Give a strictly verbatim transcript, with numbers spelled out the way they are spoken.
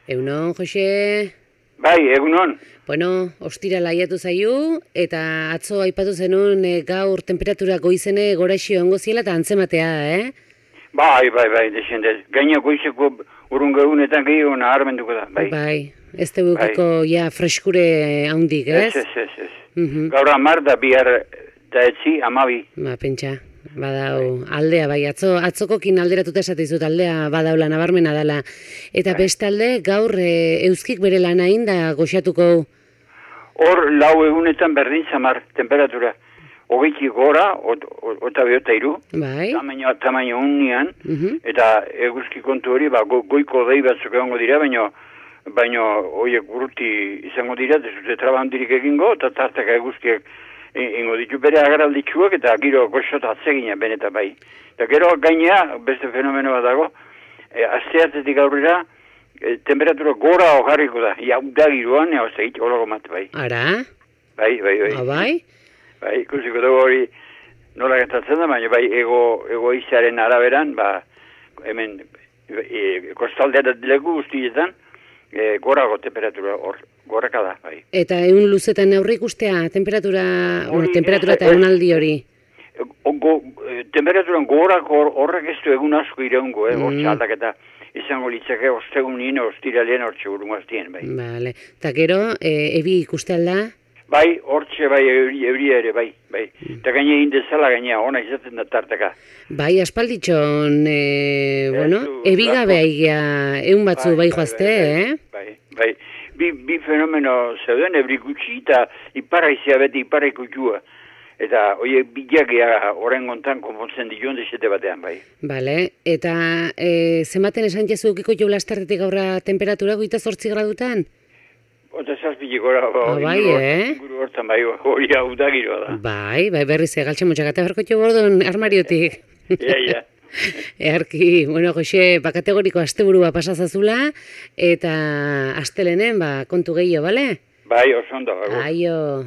Egunon, Jose? Bai, egunon. Bueno, ostira laiatu zaiu, eta atzo aipatu zenun e, gaur temperatura goizene goraxio ongo ziela eta antzematea, eh? Bai, bai, bai, desendez. Gaina goizeko urrun gehunetan gehiago naharmenduko da, bai. Bai, ez tegukiko ja freskure haundik, ez? Ez, ez, ez, ez. Mhm. Gaur amar da bihar da etzi, amabi. Ba, pentsa, badau aldea, bai, atzo, atzokokin alderatuta esate dizut aldea badaula nabarmena dela. Eta bestalde, gaur e, euskik bere lana inda goxatuko. Hor lau egunetan berdin zamar temperatura. Hogeiti gora, ota behota iru, Bai. tamaino, tamaino unian, Mhm. eta eguzki kontu hori, ba, go, goiko dei batzuk egongo dira, baina baina horiek urruti izango dira, desute traba handirik egingo, eta tartaka eguzkiek ingo ditu bere agaralditxuak, eta giro goxota atzegina benetan bai. Eta gero gainea, beste fenomeno bat dago, e, asteartetik aurrera, e, temperatura gora hojarriko da, ia da giroan, ea ozegit, holago mat bai. Ara? Bai, bai, bai. Ah, bai? Bai, ikusiko dugu hori nola gertatzen da, baina bai ego, egoizaren araberan, ba, hemen e, kostaldera leku guztietan, e, gorago temperatura hor, goraka da, bai. Eta egun luzetan aurre ikustea, temperatura, Hori, bueno, temperatura ez, eta ez. egunaldi hori. E, go, e, temperaturan gorako horrek ez du egun asko iraungo, eh, hor Mm. txaldaketa izango litzake ostegunin, ostiralean hor txegurun aztien, bai. Vale. Eta gero, e, ebi ikuste alda? Bai, hortxe bai, euri, euria ere, bai, bai. Eta gaine indezala gainea, ona izaten da tartaka. Bai, aspalditxon, e, Ez bueno, du, ebigabe lako. aigia, egun batzu bai, joazte, eh? Bai, bai. Bi, bi fenomeno zeuden, ebri gutxi eta iparaizia beti iparaikutxua. Eta oie bilagia oren gontan konpontzen dion desete batean, bai. Bale, eta e, zematen esan jezu ukiko jo lastertetik aurra temperatura goita zortzi gradutan? Ota zazpitik gora, Ah, bai, inguru, eh? inguru hortan, bai, hori hau da giroa da. Bai, bai, berriz egaltxe motxakate barko jo bordon armariotik. Ia, ia. Earki, bueno, Jose, ba kategoriko asteburua pasazazula, eta astelenen, ba, kontu gehiago, bale? Bai, oso ondo, agur. Aio.